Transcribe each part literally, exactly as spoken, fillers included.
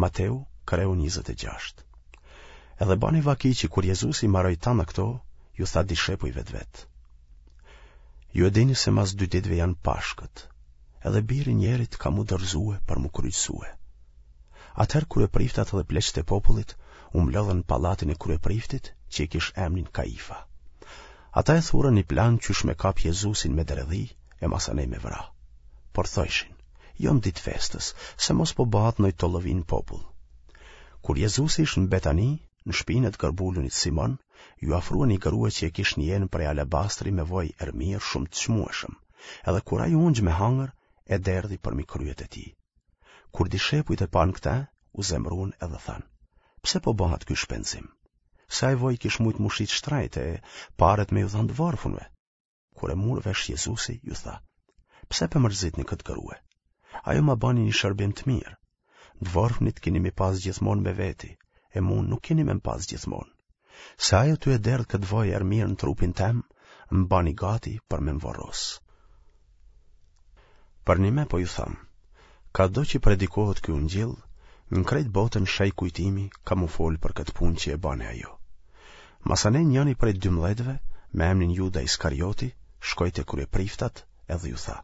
Mateu, kreu njëzet e gjashtë. Edhe bani vaki që kur Jezusi maroi tana këto, ju tha dishepujve të vet. Ju e dini se mas dy ditëve janë Pashkët, edhe biri njerit ka m'u dorëzue për m'u kryqëzue. Atëherë kryepriftat edhe pleqtë e popullit u mblodhën në pallatin e kryepriftit që e kish emnin Kaifa. Ata e thurën një plan qysh me kap Jezusin me dredhi e masanej me vra. Por thojshin, jo në ditë festës, se mos po bëhet ndonjë tollovi në popull. Kur Jezusi ish në Betani, në shpinë e të gërbulunit Simon, ju afrua një grua që e kish një enë prej alabastri me voj erëmirë shumë të çmueshëm, edhe kur ai u ungj me hangër, e derdhi përmi kryet e tij. Kur dishepujt e panë këtë, u zemrun edhe thanë, pse po bëhet ky shpenzim? Se ai voj kish mujt m'u shit shtrejt e paret me ju dhanë të varfunve. Kur e mur vesh Jezusi, ju tha, pse pe mërzitni këtë grue? Ajo ma bani një shërbim të mirë. Të vorfnit keni me pas gjithmonë me veti, e mu nuk keni me pas gjithmonë. Se ajo tu e derdh këtë voj erëmirë në trupin tem, më bani gati për me më vorros. Përnime po ju tham, kado që predikohet ky ungjill, në krejt botën shej kujtimi ka m'u folë për këtë punë që e bani ajo. Masanej njëni prej dymbëdhjetëve, me emnin Juda Iskarioti, shkoi te kryepriftat edhe ju tha,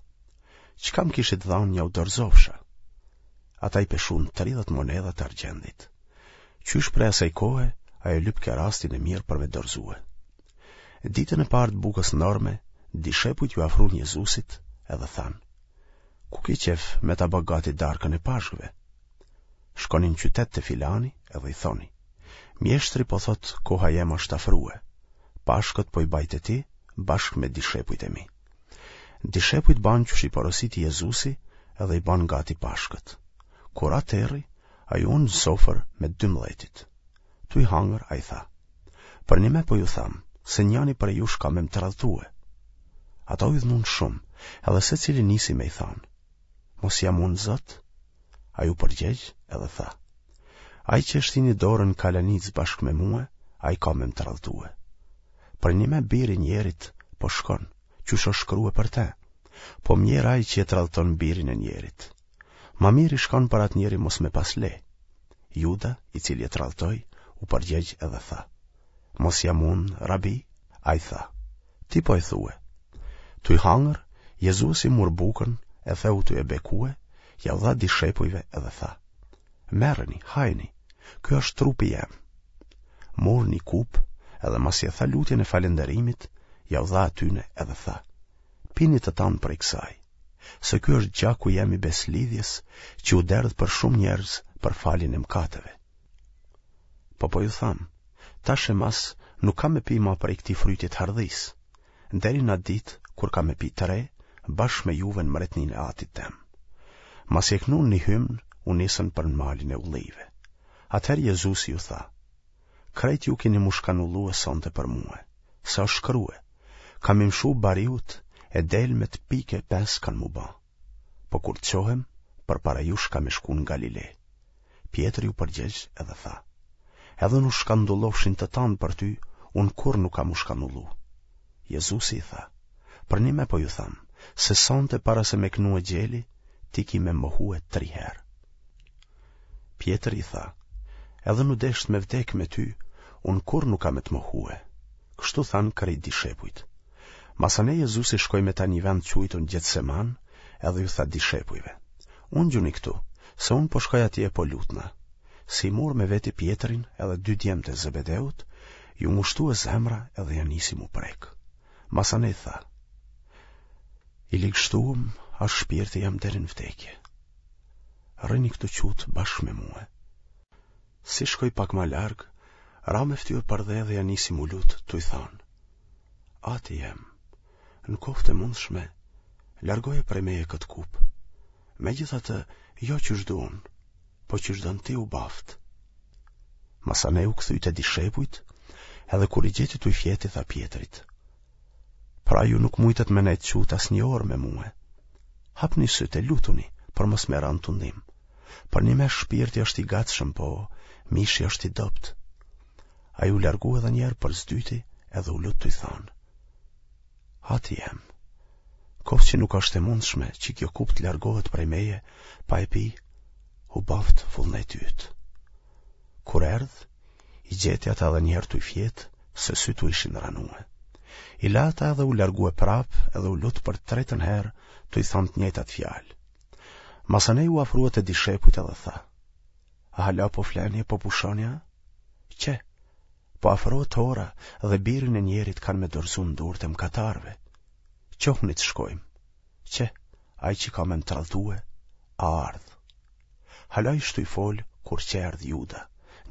çka më kishit dhanë jau dorëzofsha? Ata i peshun tridhjetë monedha të argjendit. Qysh prej asaj kohe, ai e lypke rastin e mirë për me dorëzue. Ditën e parë të bukës n'orme, dishepujt ju afrun Jezusit edhe thanë, ku ke qef me ta bë gati darkën e Pashkëve? Shkoni në qytet te filani edhe i thoni, mjeshtri po thot koha jem është afrue, Pashkët po i baj te ti bashkë me dishepujt e mi. Dishepujt banë qysh i porositi Jezusi edhe i banë gati Pashkët. Kur ra terri, ai u ul në sofër me dymbëdhjetit. Tuj hangër, ai tha, përnime po ju tham, se njani prej jush ka me më tradhtue. Ata u idhnun shumë, edhe secili nisi me i thanë, mos jam unë Zot? Ai u përgjegj edhe tha, ai që e shtini dorën në kalanicë bashkë me mue, ai ka me më tradhtue. Përnime biri njerit po shkon, qysh është shkrue për te, po mjerë ai që e tradhton birin e njerit. Ma mirë i shkon për atë njeri mos me pas le. Juda, i cili e tradhtoi, u përgjegj edhe tha, mos jam unë, rabi? Ai tha, ti po e thue. Tuj hangër, Jezusi mur bukën e theu tuj e bekue, jau dha dishepujve edhe tha, merreni, hajni, ky është trupi jem. Mur një kupë edhe masi e tha lutjen e falënderimit, jau dha atyne edhe tha, pini të tanë prej kësaj, se ky është gjaku jem i beslidhjes që u derdh për shumë njerëz për faljen e mëkateve. Po po ju tham, tash e mas nuk kam me pi ma prej këtij fryti të hardhisë, deri në atë ditë kur kam me pi të re, bashkë me juve në mbretninë e Atit tem. Masi e knun një hymn, u nisën për në malin e ullive. Atëherë Jezusi ju tha, krejt ju keni m'u shkanullue sonte për mue, se është shkrue, kam me i mshu bariut e delmet pikë e pesë kanë m'u ba. Po kur të çohem, përpara jush kam me shku në Galile. Pjetri u përgjegj edhe tha, edhe n'u shkandullofshin të tanë për ty, unë kurrë nuk kam m'u shkandullu. Jezusi i tha, përnime po ju tham, se sonte para se me knue gjeli, ti ki me mohue tri herë. Pjetri i tha, edhe n'u desht me vdek me ty, unë kurrë nuk kam me të mohue. Kështu thanë krejt dishepujt. Masanej Jezusi shkoi me ta një vend quajtun Gjetseman, edhe ju tha dishepujve, ungjuni këtu, se unë po shkoj atje e po lutna. Si mur me veti Pjetrin edhe dy djemtë e Zebedeut, ju ngushtue zemra edhe ja nisi m'u prek. Masanej tha, i ligështuem është shpirti jem deri në vdekje. Rrini këtu qutë bashkë me mue. Si shkoi pak ma larg, ra me ftyrë përdhe dhe ja nisi m'u lut, tuj thanë, Ati jem, në koftë e mundshme, largoje prej meje këtë kupë. Megjithatë, jo qysh du unë, po qysh don ti u baftë. Masanej u kthy te dishepujt, edhe kur i gjeti tuj fjetë i tha Pjetrit, pra ju nuk mujtët me nejtë qutë as një orë me mue. Hapni sytë e lutuni, për mos me ra në tundim. Përnime shpirti është i gatshëm, po mishi është i dobët. Ai u largu edhe njëherë për s'dyti edhe u lut tuj thanë. Ati jem, koftë që nuk është e mundshme që kjo kupë të largohet prej meje, pa e pi, U baftë vullneti yt. Kur erdh, i gjeti ata edhe njëherë tuj fjetë, se sytë u ishin ranue. I la ata edhe u largue prapë edhe u lut për të tretën herë tuj thanë të njëjtat fjalë. Masanej u afrua te dishepujt edhe tha, A hala po fleni e po pushoni a? Qe, po afrohet ora dhe birin e njerit kanë me dorëzu në durët e mëkatarëve. Çohuni të shkojmë. Qe, ai që ka me më tradhtue, a ardhë. Hala ish tuj folë, kur qe erdh Juda,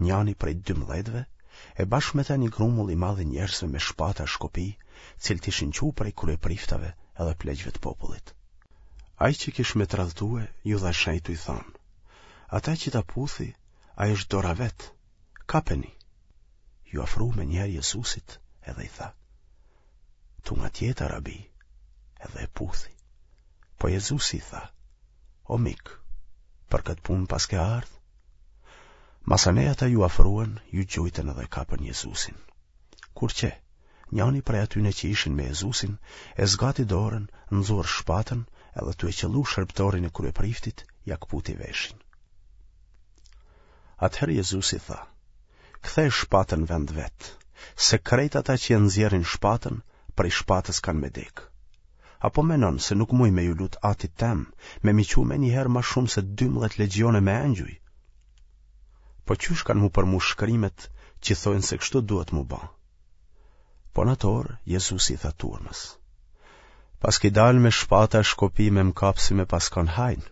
njani prej dymbëdhjetëve, e bashkë me te një grumull i madh i njerëzve me shpata e shkopij, cilët ishin çu prej kryepriftave edhe pleqve të popullit. Ai që kish me tradhtue, ju dha shenjë tuj thanë, Ata që ta puthi, ai është dora vetë, kapeni. Ju afru menjëherë Jezusit edhe i tha, Tungatjeta, rabi, edhe e puthi. Po Jezusi i tha, O mik, për këtë punë paske ardhë? Masanej ata ju afruen, ju gjujtën edhe kapën Jezusin. Kur qe, njani prej atyne që ishin me Jezusin, e zgati dorën, nxori shpatën, edhe tu e qëllu shërbëtorin e kryepriftit, ia këputi veshin. Atëherë Jezusi tha, ktheje shpatën në vend vet, se krejt ata që e nxjerrin shpatën, prej shpatës kanë me dekë. A po menon se nuk muj me ju lut atit tem, me m'i çu menjëherë ma shumë se dymbëdhjetë legjione me engjuj? Po qysh kanë m'u përmush shkrimet që thojnë se kështu duhet m'u ba? Po në atë orë, Jezusi i tha turmës. Paski dalë me shpata e shkopi me më kapë si me pas kanë hajn.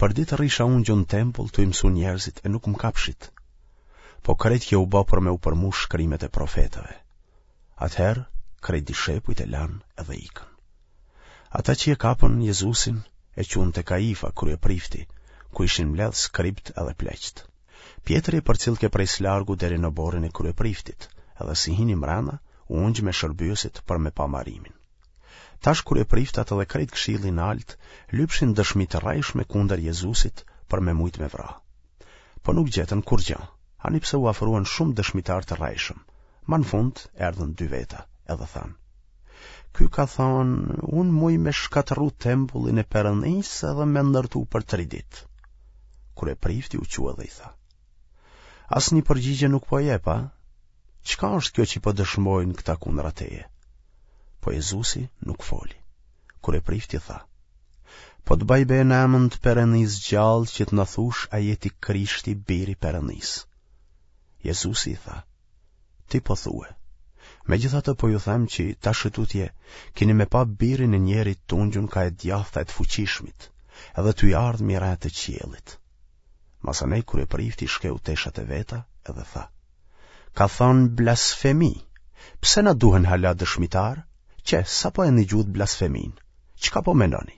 Përditë rrisha ungjun në tempull tuj mësu njerëzit e nuk më kapshit. Po krejt kjo u ba për me u përmush shkrimet e profetëve. Atëherë, krejt dishepujt e lanë edhe ikën. Ata që e kapën Jezusin e çunë te Kaifa, kryeprifti, ku ishin mbledhë skribët edhe pleqtë. Pjetri e përcillke prej së largu deri në oborrin e kryepriftit, edhe si hini mrena, u ungj me shërbyesit për me pa marimin. Tash kryepriftat edhe krejt këshilli i naltë lypshin dëshmi të rrejshme kundër Jezusit për me mujtë me vra. Po nuk gjetën kurrgja, ani pse u afruan shumë dëshmitarë të rrejshëm. Ma në fund erdhën dy veta edhe thanë. Ky ka thonë, unë muj me shkatërru tempullin e Perëndisë edhe me ndërtu për tri ditë. Kryeprifti u çua dhe i tha. Asnjë përgjigje nuk po jep, a? Çka është kjo që po dëshmojnë këta kundra teje? Po Jezusi nuk foli. Kryeprifti tha. Po të baj be në emën të Perëndisë gjallë që të na thush a je ti Krishti biri i Perëndisë. Jezusi i tha. Ti po thue. Megjithatë po ju them që tash e tutje kini me pa birin e njerit t'ungjun ka e djathta e të fuqishmit, edhe tuj ardhë mi retë e qiellit. Masanej kryeprifti shkeu teshat e veta edhe tha. Ka thonë blasfemi, pse na duhen hala dëshmitarë? Qe, sapo e nigjutë blasfeminë, çka po menoni?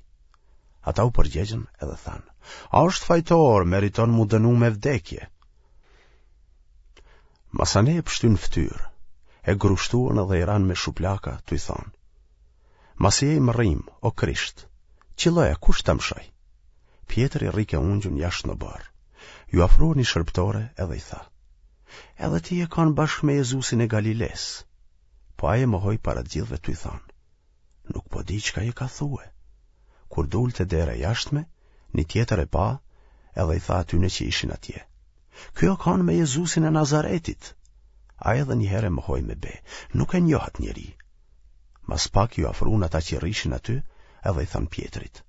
Ata u përgjegjën edhe thanë, a është fajtor, meriton m'u dënu me vdekje. Masanej e pështynë n'ftyrë, e grushtuan edhe i ranë me shuplaka, tuj thonë. Masi je i mërrim, o Krisht, qëlloje, kush të mshoi? Pjetri rrike ungjun jashtë në oborr. Ju afrua një shërbëtore edhe i tha. Edhe ti je kanë bashkë me Jezusin e Galilesë. Po ai e mohoi para të gjithëve tuj thonë. Nuk po di çka je ka thue. Kur dul te dera e jashtme, një tjetër e pa edhe i tha atyne që ishin atje. Ky o kanë me Jezusin e Nazaretit. Ai edhe një herë e mohoi me be, nuk e njoh atë njeri. Mas pak ju afrun ata që rrishin aty edhe i thanë Pjetrit.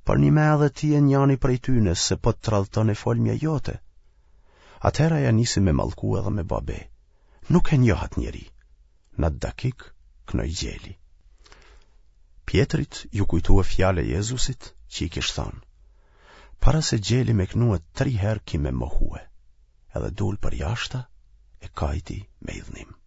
Përnime edhe ti je njani prej tyne se po të tradhton e folmja jote. Atëherë ai ia nisi me mallku edhe me ba be. Nuk e njoh atë njeri. Në atë dakik, knoi gjeli. Pjetrit ju kujtua fjala e Jezusit që i kish thënë. Para se gjeli me knue tri herë ki me mohue, edhe dul përjashta e kajti me idhnim.